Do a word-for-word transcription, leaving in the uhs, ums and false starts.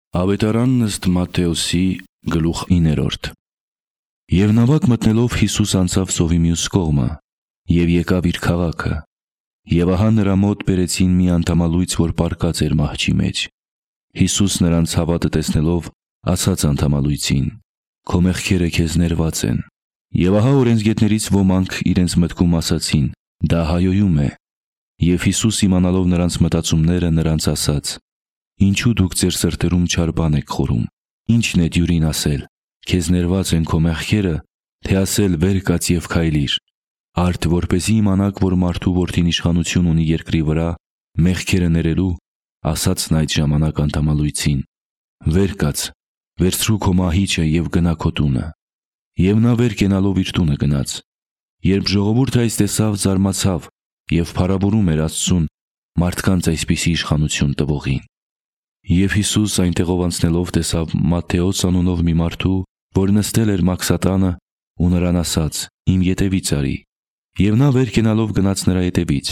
Ավետարանն ըստ Մատթեոսի գլուխ իններորդ։ Եվ նավակ մտնելով Հիսուս անցավ ծովի մյուս կողմը և եկավ իր քաղաքը, և ահա նրա մոտ բերեցին մի անդամալույծ, որ պառկած էր մահճի մեջ։ Հիսուս նրանց հավատը տեսնելով ասաց անդամալույծին. «Քո մեղքերը քեզ ներված են»։ Եվ ահա օրենսգետներից ոմանք իրենց մտքում ասացին. «Դա հայոյում է»։ Եվ Հիսուս իմանալով նրանց մտածումները, նրանց ասաց. «Ինչու դուք ձեր սրտերում չար բան եք խորում, ի՞նչն է դյուրին ասել. քեզ ներված են քո մեղքերը, թե ասել վեր կաց և քայլիր։ Արդ որպեսզի իմանաք, որ մարդու որդին իշխանություն ունի երկրի վրա մեղքերը ներելու, ասաց նա այդ ժամանակ անդամալույծին. վեր կաց, վերցրու քո մահիճը և գնա քո տունը։ Եվ նա վեր կենալով իր տունը գնաց։ Երբ ժողովուրդը այս տեսավ, զարմացավ և փառաբուրում էր Աստծուն մարդկանց այսպիսի իշխանություն տվողին։ Եվ Հիսուս այնտեղով անցնելով տեսավ Մատթեոս անունով մի մարդու, որ նստել էր մաքսատանը, ու նրան ասաց. «Իմ ետևից արի»։ Եվ նա վեր կենալով գնաց նրա ետևից։